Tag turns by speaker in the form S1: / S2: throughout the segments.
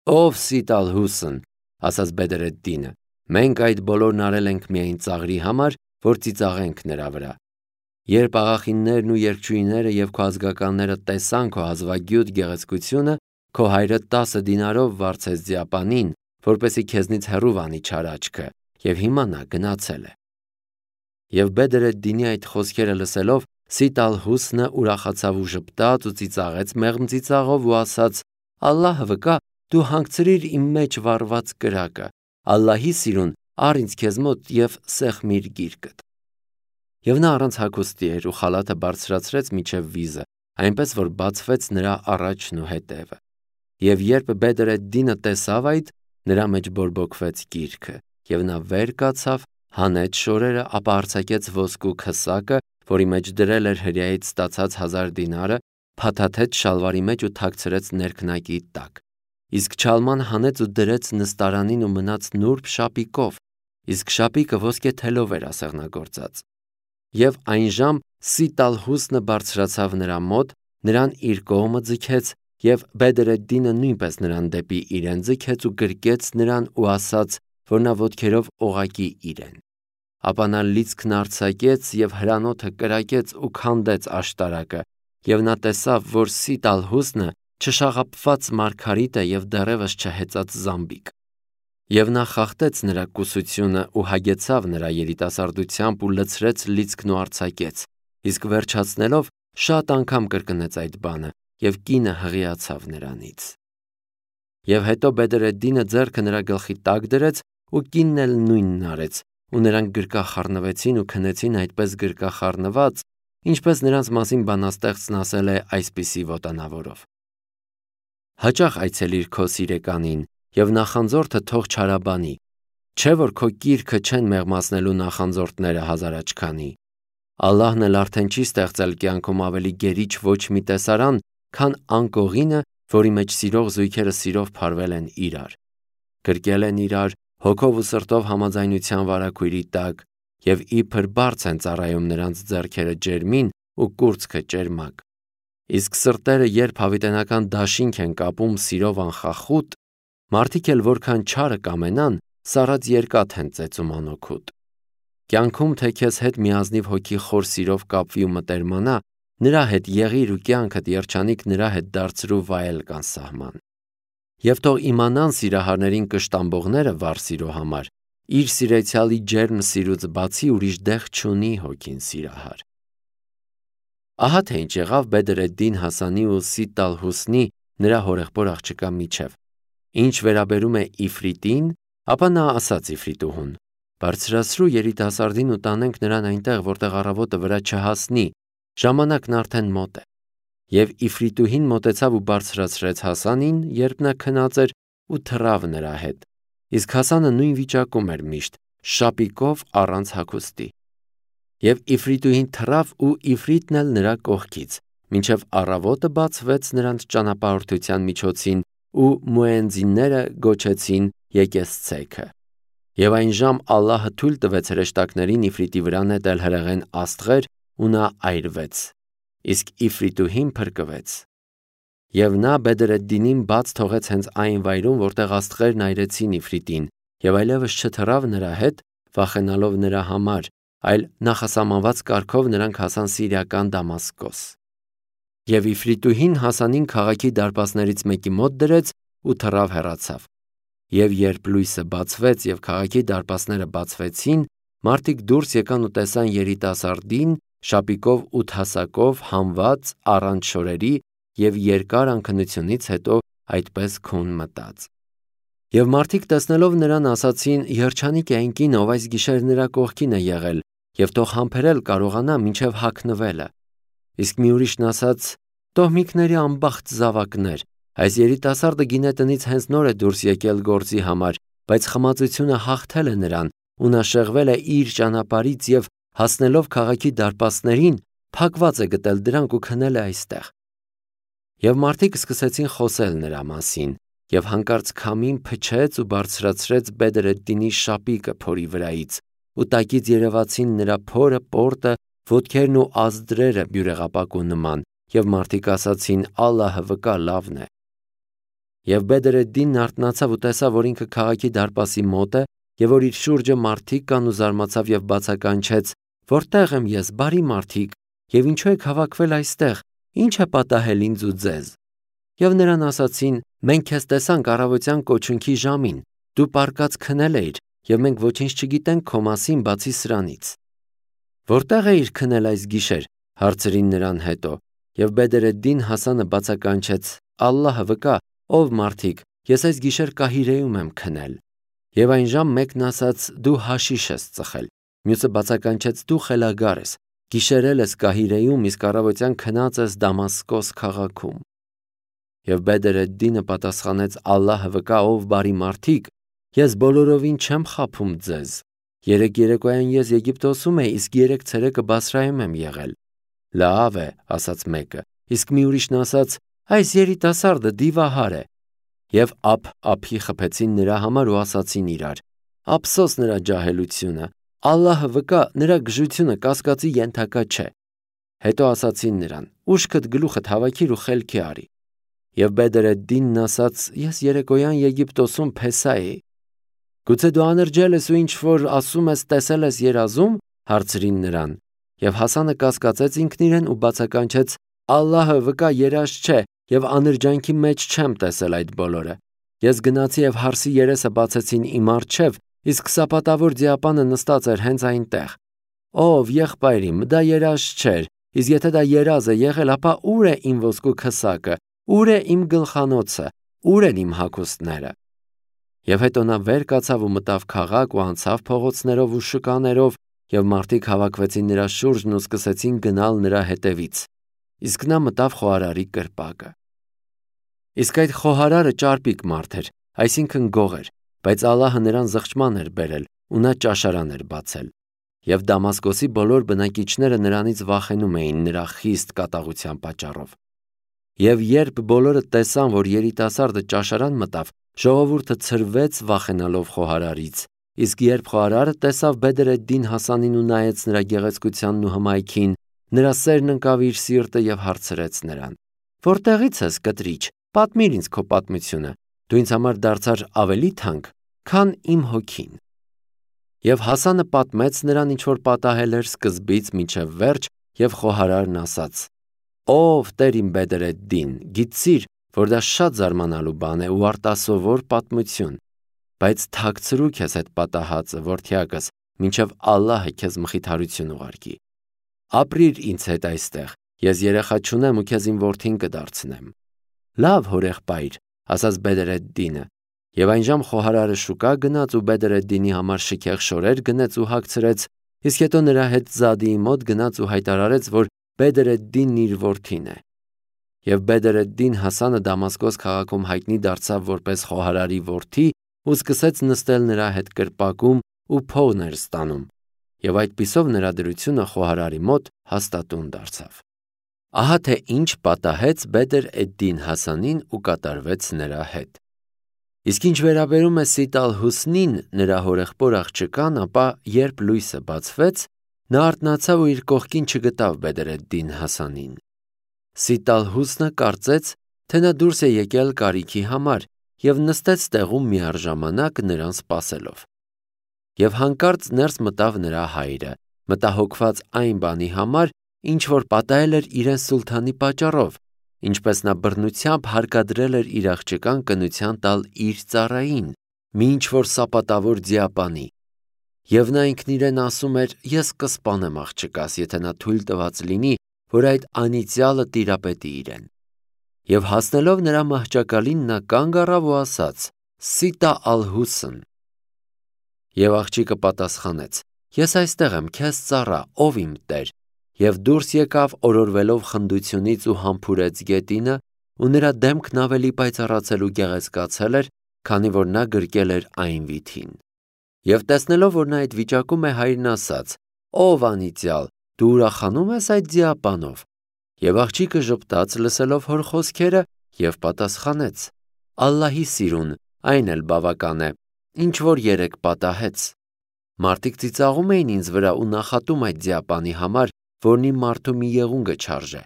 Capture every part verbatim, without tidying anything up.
S1: Ով Սիտալհուսն, ասաց Բեդրեդդինը, մենք այդ բոլորն արել ենք միայն ծաղրի համար, որ ծիծաղենք նրա վրա։ Երբ աղախիններն ու երգչուհիները և քո ազգականները տեսան քո հազվագյուտ գեղեցկությունը, քո հայրը տասը դինարով վարձեց ձիապանին, որպեսզի քեզնից հեռու վանի չար աչքը, և հիմա նա գնացել է։ Եվ Բեդրեդդինի այդ խոսքերը լսելով, Սիտալհուսնը ուրախացավ ու ժպտաց ու ծիծաղեց մեղմ ծիծաղով ու ասաց. «Ալլահը վկա, դու հանգցրիր իմ մեջ վառված կրակը, Ալլահի սիրուն, առ ինձ քեզ մոտ և սեղմիր գիրկդ»։ Եվ նա առանց հագուստի էր ու խալաթը բարձրացրեց մինչև վիզը, այնպես որ բացվեց նրա առաջն ու հետևը։ Եվ երբ Բեդրեդդինը տեսավ այդ, նրա մեջ բորբոքվեց գիրքը, և նա վեր կացավ, հանեց շորերը, ապա արձակեց ոսկու քսակը, որի մեջ դրել էր հրեայից ստացած հազար դինարը, փաթաթեց շալվարի մեջ ու թաքցրեց ներքնակի տակ։ Իսկ չալման հանեց ու դրեց նստարանին ու մնաց նուրբ շապիկով, իսկ շապիկը ոսկե թելով էր ասեղնագործած։ Եվ այն ժամ Սիտալհուսնը բարձրացավ նրա մոտ, նրան իր կողմը ձգեց, և Բեդրեդդինը նույնպես նրան դեպի իրեն ձգեց ու գրկեց նրան ու ասաց, որ նա ոտքերով օղակի իրեն։ Ապա նա լիցքն արձակեց և հրանոթը կրակեց ու քանդեց աշտարակը, և նա տեսավ, որ Սիտալհուսնը չշաղափված մարգարիտ է և դեռևս չհեծած զամբիկ։ Եվ նա խախտեց նրա կուսությունը ու հագեցավ նրա երիտասարդությամբ ու լցրեց լիցքն ու արձակեց, իսկ վերջացնելով շատ անգամ կրկնեց այդ բանը, և կինը հղիացավ նրանից։ Եվ հետո Բեդրեդդինը ձեռքը նրա գլխի տակ դրեց, ու կինն էլ նույնն արեց, ու նրանք գրկախառնվեցին ու քնեցին այդպես գրկախառնված, ինչպես նրանց մասին բանաստեղծն ասել է այսպիսի ոտանավորով. Հաճախ այցելիր քո սիրեկանին, և նախանձորդը թող չարաբանի, չէ՞ որ քո կիրքը չեն մեղմացնելու նախանձորդները հազարաչքանի։ Ալլահն էլ արդեն չի ստեղծել կյանքում ավելի գերիչ ոչ մի տեսարան, քան անկողինը, որի մեջ սիրող զույգերը սիրով փարվել են իրար, գրկել են իրար, հոգով ու սրտով համաձայնության վարագույրի տակ, և իբր բարձ են ծառայում նրանց ձեռքերը ջերմին ու կուրծքը ճերմակ։ Իսկ սրտերը երբ հավիտենական դաշինք են կապում սիրով անխախուտ, մարդիկ էլ որքան չարը կամենան, սառած երկաթ են ծեծում անօգուտ։ Կյանքում թե քեզ հետ միազնիվ հոգի խոր սիրով կապվի ու մտերմանա, նրա հետ եղիր ու կյանքդ երջանիկ նրա հետ դարձրու վայել կանսահման։ Եվ թող իմանան սիրահարներին կշտամբողները վառ սիրո համար, իր սիրեցյալի ջերմ սիրուց բացի ուրիշ դեղ չունի հոգին սիրահար։ Ահա թե ինչ եղավ Բեդրեդդին Հասանի ու Սիտալհուսնի նրա հորեղբոր աղջկա միջև։ Ինչ վերաբերում է Իֆրիտին, ապա նա ասաց Իֆրիտուհուն. «Բարձրացրու երիտասարդին ու տանենք նրան այնտեղ, որտեղ առավոտը վրա չհասնի, ժամանակն արդեն մոտ է»։ Եվ Իֆրիտուհին մոտեցավ ու բարձրացրեց Հասանին, երբ նա քնած էր, ու թռավ նրա հետ։ Իսկ Հասանը նույն վիճակում էր միշտ, շապիկով առանց հագուստի։ Եվ Իֆրիտուհին թռավ ու Իֆրիտն էլ նրա կողքից, մինչև առավոտը բացվեց նրանց ճանապարհորդության միջոցին ու մուեզինները գոչեցին եկես ցեքը։ Եվ այն ժամ Ալլահը թույլ տվեց հրեշտակներին Իֆրիտի վրա նետել հրեղեն աստղեր, ու նա այրվեց, իսկ Իֆրիտուհին փրկվեց։ Եվ նա Բեդրեդդինին բաց թողեց հենց այն վայրում, որտեղ աստղերն այրեցին Իֆրիտին, և այլևս չթռավ նրա հետ, վախենալով նրա համար, այլ նախասահմանված կարգով նրանք հասան սիրիական Դամասկոս։ Եվ Իֆրիտուհին Հասանին քաղաքի դարպասներից մեկի մոտ դրեց ու թռավ հեռացավ։ Եվ երբ լույսը բացվեց և քաղաքի դարպասները բացվեցին, մարդիկ դուրս եկան ու տեսան երիտասարդին շապիկով ութ հասակով հանված առանց շորերի և երկար անքնությունից հետո այդպես քուն մտած։ Եվ մարդիկ տեսնելով նրան ասացին. «Երջանիկ է այն կինը, ով այս գիշեր նրա կողքին է եղել, և թող համբերել կարողանա մինչև հագնվելը»։ Իսկ մի ուրիշն ասաց. «Տոհմիկների անբախտ զավակներ, այս երիտասարդը գինետնից հենց նոր է դուրս եկել գործի համար, բայց խմածությունը հաղթել է նրան, ու նա շեղվել է իր ճանապարհից և հասնելով քաղաքի դարպասներին, փակված է գտել դրանք ու քնել է այստեղ»։ Եվ մարդիկ սկսեցին խոսել նրա մասին, և հանկարծ քամին փչեց ու բարձրացրեց Բեդրեդդինի շապիկը փորի վրայից, ու տակից երևացին նրա փորը, պորտը, ոտքերն ու ազդրերը բյուրեղապակու նման, և մարդիկ ասացին. «Ալլահը վկա, լավն է»։ Եվ Բեդրեդդինն արթնացավ ու տեսավ, որ ինքը քաղաքի դարպասի մոտ է և որ իր շուրջը մարդիկ կան ու զարմացավ և բացականչեց. «Որտե՞ղ եմ ես, բարի մարդիկ, և ինչու եք հավաքվել այստեղ, ի՞նչ է պատահել ինձ ու ձեզ»։ Եվ նրան ասացին. «Մենք քեզ տեսանք առավոտյան կոչունքի ժամին, դու պառկած քնել էիր, և մենք ոչինչ չգիտենք քո մասին, բացի սրանից»։ «Որտե՞ղ էիր քնել այս գիշեր», հարցրին նրան հետո։ Եվ Բեդրեդդին Հասանը բացականչեց. «Ալլահը վկա, ով մարդիկ, ես այս գիշեր Կահիրեում եմ քնել»։ Եվ այն ժամ մեկն ասաց. «Դու հաշիշ ես ծխել», մյուսը բացականչեց. «Դու խելագար ես, գիշերել ես Կահիրեում, իսկ առավոտյան քնած ես Դամասկոս քաղաքում»։ Եվ Բեդրեդդինը պատասխանեց. «Ալլահը վկա, ով բարի մարդիկ, ես բոլորովին չեմ խաբում ձեզ։ Երեկ երեկոյան ես Եգիպտոսում էի, իսկ երեկ ցերեկը Բասրայում եմ եղել»։ «Լավ է», ասաց մեկը, իսկ մի ուրիշն ասաց. «Այս երիտասարդը դիվահար է»։ Եվ ափ-ափի խփեցին նրա համար ու ասացին իրար. «Ափսոս նրա ջահելությունը, Ալլահը վկա, նրա գժությունը կասկածի ենթակա չէ»։ Հետո ասացին նրան. «Ուշքդ գլուխդ հավաքիր ու խելքի արի»։ Եվ Բեդրեդդինն ասաց. «Ես երեկոյան Եգիպտոսում փեսա էի»։ «Գուցե դու անրջել ես ու ինչ-որ ասում ես տեսել ես երազում»։ Հարցրին նրան։ Եվ Հասանը կասկածեց ինքն իրեն ու բացականչեց. «Ալլահը վկա, երազ չէ, և անրջանքի մեջ չեմ տեսել այդ բոլորը։ Ես գնացի և հարսի երեսը բացեցին իմ առջև, իսկ սապատավոր ձիապանը նստած էր հենց այնտեղ։ Ով եղբայր իմ, դա երազ չէր, իսկ եթե դա երազ է եղել, ապա ո՞ւր է իմ ոսկու քսակը, ո՞ւր է իմ գլխանոցը, ո՞ւր են իմ հագուստները»։ Եվ հետո նա վեր կացավ ու մտավ քաղաք ու անցավ փողոցներով ու շկաներով, և մարդիկ հավաքվեցին նրա շուրջն ու սկսեցին գնալ նրա հետևից, իսկ նա մտավ խոհարարի կրպակը։ Իսկ այդ խոհարարը ճարպիկ մարդ էր, այսինքն գող էր, բայց Ալլահը նրան զղջման էր բերել ու նա ճաշարան էր բացել։ Եվ Դամասկոսի բոլոր բնակիչները նրանից վախենում էին նրա խիստ կատաղության պատճառով։ Եվ երբ բոլորը տեսան, որ երիտասարդը ճաշարան մտավ, ժողովուրդը ցրվեց վախենալով խոհարարից, իսկ երբ խոհարարը տեսավ Բեդրեդդին Հասանին ու նայեց նրա գեղեցկությանն ու հմայքին, նրա սերն ընկավ իր սիրտը և հարցրեց նրան. «Որտեղից ես, կտրիչ, պատմիր ինձ քո պատմությունը, դու ինձ համար դարձար ավելի թանկ, քան իմ հոգին»։ Եվ Հասանը պատմեց նրան, ինչ որ պատահել էր սկզբից մինչև վերջ, և խոհարարն ասաց. «Ով տեր իմ Բեդրեդդին, գիտցիր, որ դա շատ զարմանալու բան է ու արտասովոր պատմություն, բայց թաքցրու քեզ այդ պատահածը, որդյակս, մինչև Ալլահը քեզ մխիթարություն ուղարկի։ Ապրիր ինձ հետ այստեղ, ես երեխա չունեմ ու քեզ իմ որդին կդարձնեմ»։ «Լավ, հորեղբայր», ասաց Բեդրեդդինը։ Եվ այնժամ խոհարարը շուկա գնաց ու Բեդրեդդինի համար շքեղ շորեր գնեց ու հագցրեց, իսկ հետո նրա հետ Զադիի մոտ գնաց ու հայտարարեց, որ Բեդրեդդինն իր որդին է։ Եվ Բեդրեդդին Հասանը Դամասկոս քաղաքում հայտնի դարձավ որպես խոհարարի որդի ու սկսեց նստել նրա հետ կրպակում ու փողներ ստանում, և այդպիսով նրա դրությունը խոհարարի մոտ հաստատուն դարձավ։ Ահա թե ինչ պատահեց Բեդր-էդ-Դին Հասանին ու կատարվեց նրա հետ։ Իսկ ինչ վերաբերում է Սիտ ալ-Հուսնին, նրա հորեղբոր աղջկան, ապա երբ լույսը բացվեց, նա արթնացավ ու իր կողքին չգտավ Բեդր-էդ-Դին Հասանին։ Սիտ ալ-Հուսնը կարծեց, թե նա դուրս է եկել կարիքի համար և նստեց տեղում միառժամանակ նրան սպասելով։ Եվ հանկարծ ներս մտավ նրա հայրը, մտահոգված այն բանի համար, ինչ որ պատահել էր իրեն սուլթանի պատճառով, ինչպես նա բռնությամբ հարկադրել էր իր աղջկան կնության տալ իր ծառային, մի ինչ-որ սապատավոր ձիապանի։ Եվ նա ինքն իրեն ասում էր. «Ես կսպանեմ աղջկաս, եթե նա թույլ տված լինի, որ այդ անիծյալը տիրապետի իրեն»։ Եվ հասնելով նրա մահճակալին, նա կանգ առավ ու ասաց. «Սիտա ալ-Հուսն»։ Եվ աղջիկը պատասխանեց. «Ես այստեղ եմ, քեզ ծառա, ով իմ տեր»։ Եվ դուրս եկավ օրորվելով խնդությունից ու համբուրեց գետինը, ու նրա դեմքն ավելի պայծառացել ու գեղեցկացել էր, քանի որ նա գրկել էր այն վիթին։ Եվ տեսնելով, որ նա այդ վիճակում է, հայրն ասաց. «Ով անիծյալ, դու ուրախանո՞ւմ ես այդ ձիապանով»։ Եվ աղջիկը ժպտաց, լսելով հոր խոսքերը, և պատասխանեց. «Ալլահի սիրուն, այն էլ բավական է, ինչ որ երեկ պատահեց։ Մարդիկ ծիծաղում էին ինձ վրա ու նախատում այդ ձիապանի համար, որն իմ մարդու մի եղունգը չարժե։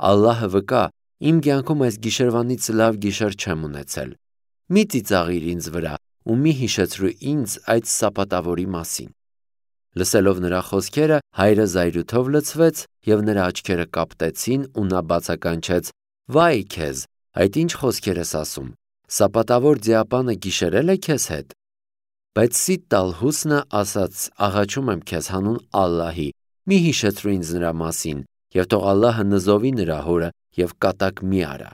S1: Ալլահը վկա, Իմ կյանքում այս գիշերվանից լավ գիշեր չեմ ունեցել։ Մի ծիծաղիր ինձ վրա ու մի հիշեցրու ինձ այդ սապատավորի մասին»։ Լսելով նրա խոսքերը, հայրը զայրույթով լցվեց և նրա աչքերը կապտեցին ու նա բացականչեց. «Վայ քեզ, այդ ինչ խոսքեր ես ասում, սապատավոր ձիապանը գիշերել է քեզ հետ»։ Բայց Սիդ Տալհուսնը ասաց. «Աղաչում եմ քեզ հանուն Ալլահի, մի հիշեցրու ինձ նրա մասին, և թող Ալլահը նզովի նրա հորը և կատակ մի արա»։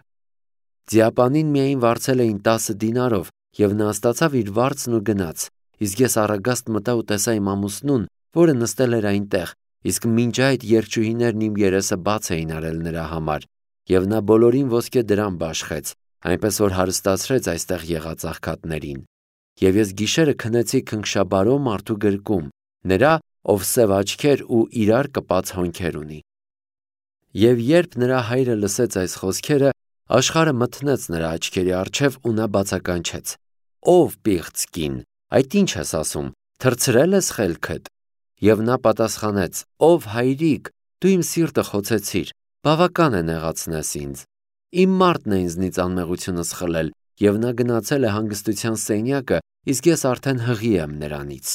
S1: Ձիապանին միայն վարձել էին տասը դինարով, և նա ստացավ իր վարձն ու գնաց, իսկ ես առագաստ մտա ու տեսա իմ ամուսնուն, որը նստել էր այնտեղ, իսկ մինչ այդ երգչուհիներն իմ երեսը բաց էին արել նրա համար, և նա բոլորին ոսկե դրամ բաշխեց, այնպես որ հարստացրեց այստեղ եղած աղքատներին։ Եվ ես գիշերը քնեցի քնքշաբարո մարդու գրկում, նրա, ով սև աչքեր ու իրար կպած հոնքեր ունի։ Եվ երբ նրա հայրը լսեց այս խոսքերը, աշխարհը մթնեց նրա աչքերի առջև ու նա բացականչեց. «Ով պիղծ կին, այդ ինչ ես ասում, թռցրել ես խելքդ»։ Եվ նա պատասխանեց. «Ով հայրիկ, դու իմ սիրտը խոցեցիր, բավական է նեղացնես ինձ։ Իմ մարդն է ինձնից անմեղությունս խլել, և նա գնացել է հանգստության սենյակը, իսկ ես արդեն հղի եմ նրանից»։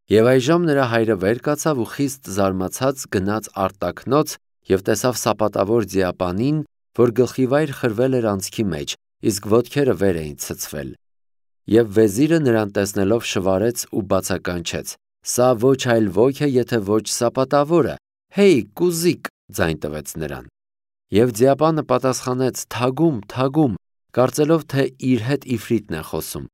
S1: Եվ այժմ նրա հայրը վեր կացավ ու խիստ զարմացած գնաց արտաքնոց և տեսավ սապատավոր ձիապանին, որ գլխիվայր խրվել էր անցքի մեջ, իսկ ոտքերը վեր էին ցցվել։ Եվ վեզիրը նրան տեսնելով շվարեց ու բացականչեց. «Սա ոչ այլ ոք է, եթե ոչ սապատավորը, հեյ կուզիկ», ձայն տվեց նրան։ Եվ ձիապանը պատասխանեց. «Թագում, թագում», կարծելով, թե իր հետ իֆրիտն է խոսում։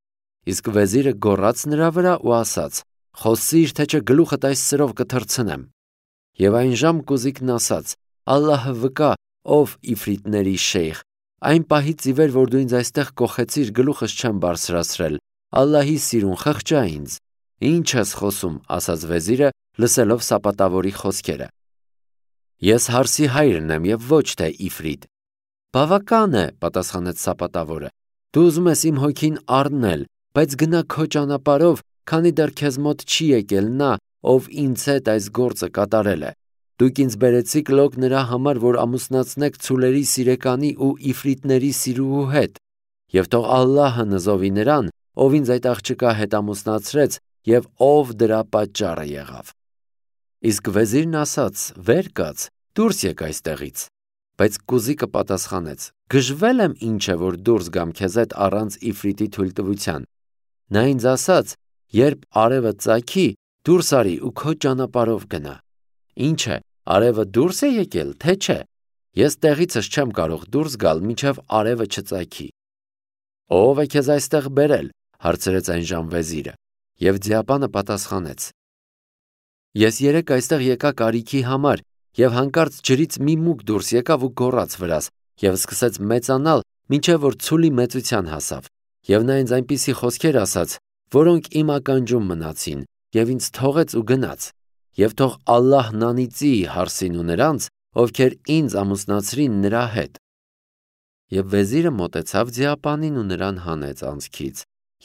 S1: Իսկ վեզիրը գոռաց նրա վրա ու ասաց. «Խոսիր, թե չէ գլուխդ այս սրով կթռցնեմ»։ Եվ այնժամ կուզիկն ասաց. «Ալլահը վկա, ով իֆրիտների շեյխ, այն պահից ի վեր, որ դու ինձ այստեղ կոխեցիր, գլուխս չեմ բարձրացրել, Ալլահի սիրուն, խղճա ինձ»։ «Ինչ ես խոսում», ասաց վեզիրը, լսելով սապատավորի խոսքերը։ «Ես հարսի հայրն եմ և ոչ թե իֆրիտ»։ «Բավական է», պատասխանեց սապատավորը, «դու ուզում ես իմ հոգին առնել, բայց գնա քո ճանապարհով, քանի դեռ քեզ մոտ չի եկել նա, ով ինձ հետ այս գործը կատարել է։ Դուք ինձ բերեցիք լոկ նրա համար, որ ամուսնացնեք ցուլերի սիրեկանի ու իֆրիտների սիրուհու հետ, և թող Ալլահը նզովի նրան, ով ինձ այդ աղջկա հետ ամուսնացրեց և ով դրա պատճառը եղավ»։ Իսկ վեզիրն ասաց. «Վեր կաց, դուրս եկ այստեղից»։ Բայց կուզիկը պատասխանեց. «Գժվել եմ ինչ է, որ դուրս գամ քեզ հետ առանց իֆրիտի թույլտվության։ Նա ինձ ասաց. երբ արևը ծագի, դուրս արի ու քո ճանապարհով գնա։ Ինչ է, արևը դուրս է եկել, թե չէ։ Ես տեղիցս չեմ կարող դուրս գալ, մինչև արևը չծագի»։ «Ո՞վ է քեզ այստեղ բերել», հարցրեց այնժամ վեզիրը։ Եվ ձիապանը պատասխանեց. «Ես երեկ այստեղ եկա կարիքի համար, և հանկարծ ջրից մի մուկ դուրս եկավ ու գոռաց վրաս, և սկսեց մեծանալ, մինչև որ ցուլի մեծության հասավ, և նա ինձ այնպիսի խոսքեր ասաց, որոնք իմ ականջում մնացին, և ինձ թողեց ու գնաց, և թող Ալլահն անիծի հարսին ու նրանց, ովքեր ինձ ամուսնացրին նրա հետ»։ Եվ վեզիրը մոտեցավ ձիապանին ու նրան հանեց անցքից,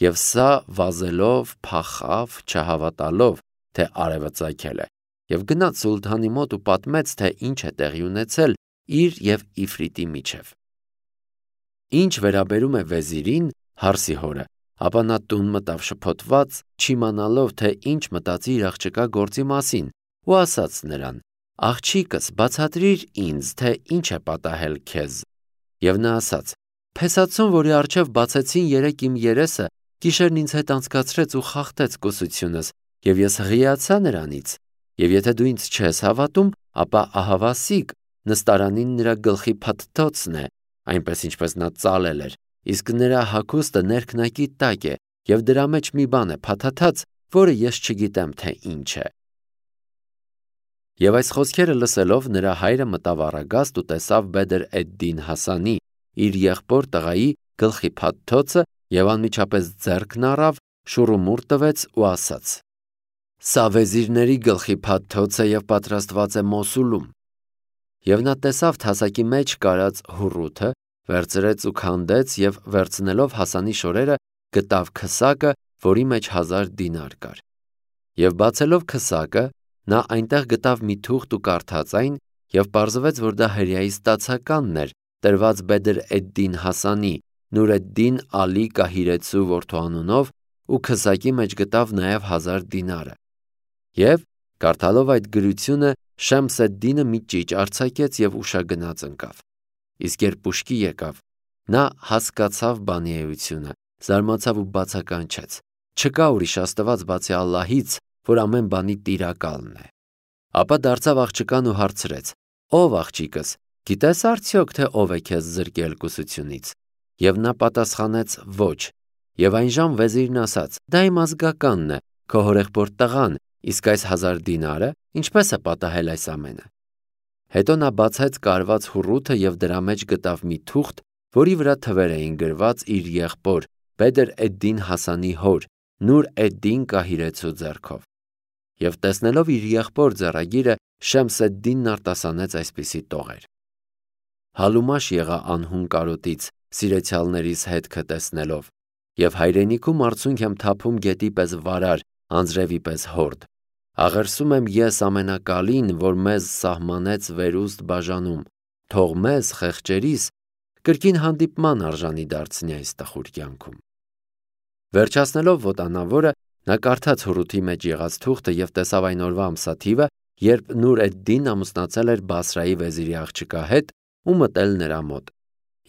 S1: և սա վազելով փախավ, չհավատալով, թե արևը ծագել է, և գնաց սուլթանի մոտ ու պատմեց, թե ինչ է տեղի ունեցել իր և իֆրիտի միջև։ Ինչ վերաբերում է վեզիրին, հարսի հորը, ապա նա տուն մտավ շփոթված, չիմանալով, թե ինչ մտածի իր աղջկա գործի մասին, ու ասաց նրան. «Աղջիկս, բացատրիր ինձ, թե ինչ է պատահել քեզ»։ Եվ նա ասաց. «Փեսացուն, որի առջև բացեցին երեկ իմ երեսը, գիշերն ինձ հետ անցկացրեց ու խախտեց կուսությունս, և ես հղիացա նրանից։ Եվ եթե դու ինձ չես հավատում, ապա ահավասիկ, նստարանին նրա գլխի փաթթոցն է, այնպես ինչպես նա ծալել էր, իսկ նրա հագուստը ներքնակի տակ է, և դրա մեջ մի բան է փաթաթած, որը ես չգիտեմ, թե ինչ է»։ Եվ այս խոսքերը լսելով նրա հայրը մտավ առագաստ ու տեսավ Բեդր էդ-Դին Հասանի, իր եղբոր տղայի գլխի փաթթոցը, և անմիջապես ձեռքն առավ, շուռումուռ տվեց ու ասաց. «Սա վեզիրների գլխի փաթթոց է և պատրաստված է Մոսուլում»։ Եվ նա տեսավ թասակի մեջ կարած հուռութը, վերցրեց ու քանդեց և վերցնելով Հասանի շորերը գտավ քսակը, որի մեջ հազար դինար կար։ Եվ բացելով քսակը, նա այնտեղ գտավ մի թուղթ ու կարդաց այն, եւ պարզվեց, որ դա հրեայի ստացականն էր, տրված Բեդր էդ-Դին Հասանի, Նուր էդ-Դին Ալի Կահիրեցու որդու անունով, ու քսակի մեջ գտավ նաեւ հազար դինարը։ Եվ կարդալով այդ գրությունը Շեմս էդ-Դինը մի ճիճ արձակեց եւ ուշագնաց ընկավ։ Իսկ երբ ուշքի եկավ, նա հասկացավ բանի էությունը, զարմացավ ու բացականչեց. չկա ուրիշ աստված բացի Ալլահից, որ ամեն բանի տիրակալն է։ Ապա դարձավ աղջկան ու հարցրեց. Ով աղջիկս, գիտես արդյոք թե ով է քեզ զրկել կուսությունից։ Եվ նա պատասխանեց. ոչ։ Եվ այնժամ վեզիրն ասաց. դա իմ ազգականն է, քո հորեղբորդ տղան, իսկ այս հազար դինարը ինչպես է պատահել այս ամենը։ Հետո նա բացեց կարված հուռութը եւ դրա մեջ գտավ մի թուղթ, որի վրա թվեր էին գրված իր եղբոր Բեդր էդ-Դին Հասանի հոր Նուր էդ-Դին Կահիրեցու ձեռքով։ Եվ տեսնելով իր եղբոր ձեռագիրը, Շեմս էդ-Դինն արտասանեց այսպիսի տողեր. Հալումաշ եղա անհուն կարոտից, սիրեցյալներիս հետքը տեսնելով, եւ հայրենիքում արցունք եմ թափում գետի պես վարար, անձրևի պես հորդ։ Աղերսում եմ ես ամենակալին, որ մեզ սահմանեց վերուստ բաժանում, թող մեզ խեղճերիս կրկին հանդիպման արժանի դարձնի այս տխուր կյանքում։ Վերջացնելով ոտանավորը, նա կարդաց հուռութի մեջ եղած թուղթը եւ տեսավ այն օրվա ամսաթիվը, երբ Նուր էդ-Դինն ամուսնացել էր Բասրայի վեզիրի աղջկա հետ ու մտել նրա մոտ,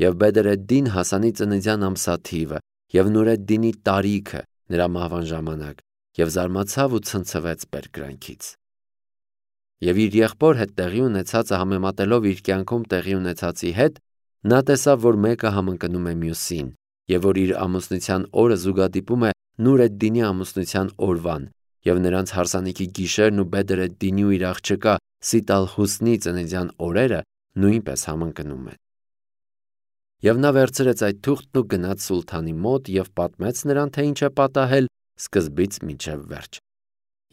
S1: եւ Բեդր էդ-Դին Հասանի ծննդյան ամսաթիվը եւ Նուր էդ-Դինի տարիքը նրա մահվան ժամանակ, եւ զարմացավ ու ցնցվեց բերկրանքից։ Եվ իր եղբոր հետ տեղի ունեցածը համեմատելով իր կյանքում տեղի ունեցածի հետ, նա տեսավ, որ մեկը համընկնում է մյուսին, եւ որ իր ամուսնության օրը զուգադիպում է Նուր էդ-Դինի ամուսնության օրվան, եւ նրանց հարսանիքի գիշերն ու Բեդր էդ-Դինի ու իր աղջկա Սիտ ալ-Հուսնի ծննդյան օրերը նույնպես համընկնում են։ Եվ նա վերցրեց այդ թուղթն ու գնաց սուլթանի մոտ եւ պատմեց նրան, թե ինչ է պատահել սկզբից մինչև վերջ։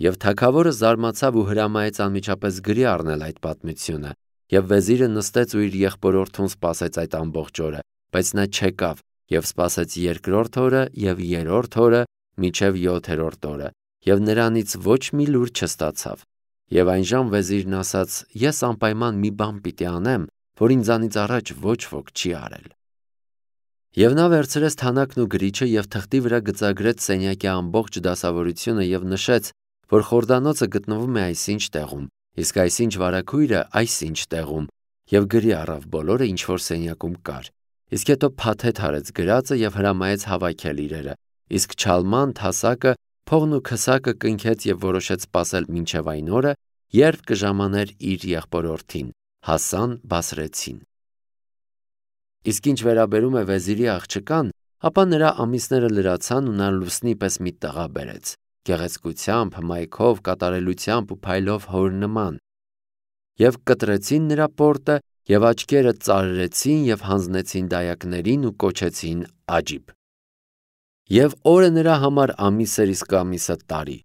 S1: Եվ թագավորը զարմացավ ու հրամայեց անմիջապես գրի առնել այդ պատմությունը, եւ վեզիրը նստեց ու իր եղբորորդուն սպասեց այդ ամբողջ օրը, բայց նա չեկավ եւ սպասեց երկրորդ օրը եւ երրորդ օրը մինչև յոթերորդ օրը, եւ նրանից ոչ մի լուր չստացավ։ Եվ այնժամ վեզիրն ասաց. ես անպայման մի բան պիտի անեմ, որ ինձանից առաջ ոչ ոք չի արել։ Եվ նա վերցրեց թանաքն ու գրիչը եւ թղթի վրա գծագրեց սենյակի ամբողջ դասավորությունը եւ նշեց, որ խորդանոցը գտնվում է այսինչ տեղում, իսկ այսինչ վարագույրը այսինչ տեղում, եւ գրի առավ բոլորը, ինչ որ սենյակում կար։ Իսկ հետո փաթեթ հարեց գրածը եւ հրամայեց հավաքել իրերը, իսկ Չալման Թասակը փողն ու քսակը կնքեց եւ որոշեց սպասել մինչև այն օրը, երբ կժամաներ իր եղբորորդին Հասան Բասրեցին։ Իսկ ինչ վերաբերում է վեզիրի աղջկան, ապա նրա ամիսները լրացան ու նա լուսնի պես մի տղա բերեց, գեղեցկությամբ, հմայքով, կատարելությամբ ու փայլով հոր նման։ Եվ կտրեցին նրա պորտը եւ աչքերը ծարրեցին եւ հանձնեցին դայակներին ու կոչեցին Աջիբ։ Եվ օրը նրա համար ամիս էր, իսկ ամիսը տարի։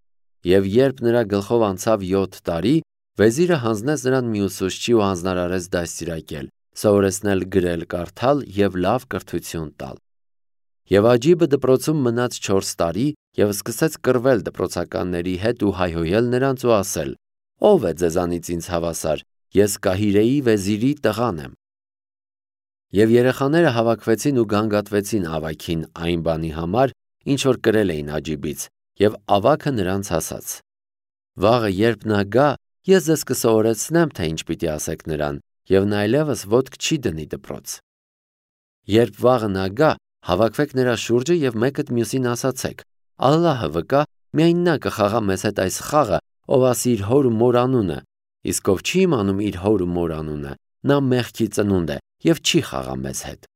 S1: Եվ երբ նրա գլխով անցավ յոթ տարի, վեզիրը հանձնեց նրան մի ուսուցչի ու հանձնարարեց դաստիարակել, սովորեցնել գրել, կարդալ եւ լավ կրթություն տալ։ Եվ Աջիբը դպրոցում մնաց չորս տարի եւ սկսեց կռվել դպրոցականների հետ ու հայհոյել նրանց ու ասել. ով է ձեզանից ինձ հավասար, ես Կահիրեի վեզիրի տղան եմ։ Եվ երեխաները հավաքվեցին ու գանգատվեցին ավագին այն բանի համար, ինչ որ կրել էին Աջիբից, եւ ավագը նրանց ասաց. վաղը երբ նա գա, ես ձեզ կսովորեցնեմ, թե ինչ պիտի ասեք նրան, եւ նա այլևս ոտք չի դնի դպրոց։ Երբ վաղը նա գա, հավաքվեք նրա շուրջը եւ մեկդ մյուսին ասացեք. Ալլահը վկա, միայն նա կխաղա մեզ հետ այս խաղը, ով ասի իր հոր ու մոր անունը, իսկ ով չի իմանում իր հոր ու մոր անունը, նա մեղքի ծնունդ է եւ չի խաղա մեզ հետ։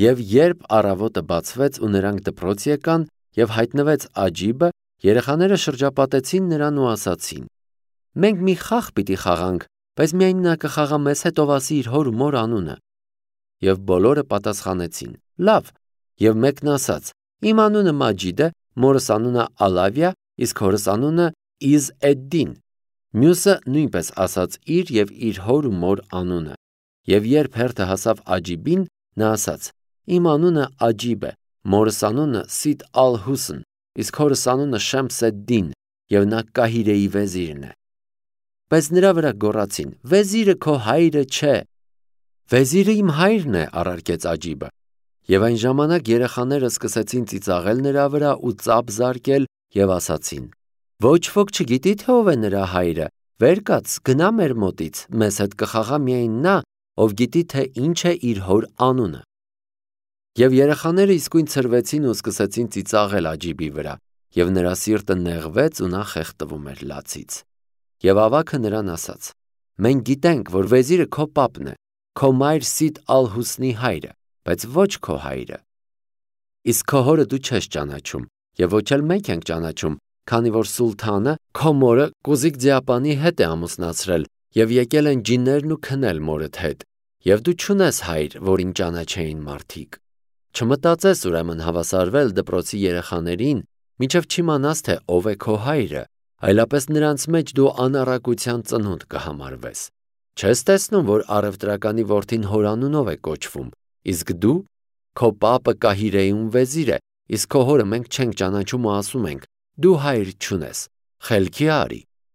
S1: Եվ երբ առավոտը բացվեց ու նրանք դպրոց եկան եւ հայտնվեց Աջիբը, երեխաները շրջապատեցին նրան ու ասացին. մենք մի խաղ պիտի խաղանք, բայց միայն նա կխաղա մեզ հետ, ով ասի իր հոր ու մոր անունը։ Եվ բոլորը պատասխանեցին. լավ։ Եվ մեկն ասաց. իմ անունը Մաջիդ է, մորս անունը Ալավիա, իսկ հորս անունը Իզ էդ-Դին։ Մյուսը նույնպես ասաց իր եւ իր հոր ու մոր անունը։ Եվ երբ հերթը հասավ Աջիբին, նա ասաց. իմ անունը Աջիբ է, մորս անունը Սիտ ալ-Հուսն, իսկ հորս անունը Շեմս էդ-Դին, եւ նա Կահիրեի վեզիրն է։ բայց նրա վրա գոռացին. «Վեզիրը քո հայրը չէ»։ «Վեզիրը իմ հայրն է», առարկեց Աջիբը։ Եվ այն ժամանակ երեխաները սկսեցին ծիծաղել նրա վրա ու ծափ զարկել և ասացին. «Ոչ ոք չգիտի, թե ով է նրա հայրը, վեր կաց, գնա մեր մոտից, մեզ հետ կխաղա միայն նա, ով գիտի, թե ինչ է իր հոր անունը»։ Եվ երեխաները իսկույն ցրվեցին ու սկսեցին ծիծաղել Աջիբի վրա, և նրա սիրտը նեղվեց ու նա խեղդվում էր լացից։ Եվ ավագը նրան ասաց. «Մենք գիտենք, որ վեզիրը քո պապն է, քո մայր Սիդ ալ-Հուսնի հայրը, բայց ոչ քո հայրը։ Իսկ քո հորը դու չես ճանաչում, և ոչ էլ մենք ենք ճանաչում, քանի որ սուլթանը քո մորը Կուզիկ Ձիապանի հետ է ամուսնացրել, և եկել են ջիններն ու քնել մորդ հետ, և դու չունես հայր, որին ճանաչեին մարդիկ։ Չմտածես ուրեմն հավասարվել դպրոցի երեխաներին, մինչև չիմանաս, թե ով է քո հայրը, այլապես նրանց մեջ դու անառակության ծնունդ կհամարվես։ Չես տեսնում, որ առևտրականի որդին հոր անունով է կոչվում, իսկ դու, քո պապը Կահիրեում վեզիր է, իսկ քո հորը մենք չենք ճանաչում ու ասում ենք. դու հայր չունես, խելքի արի»։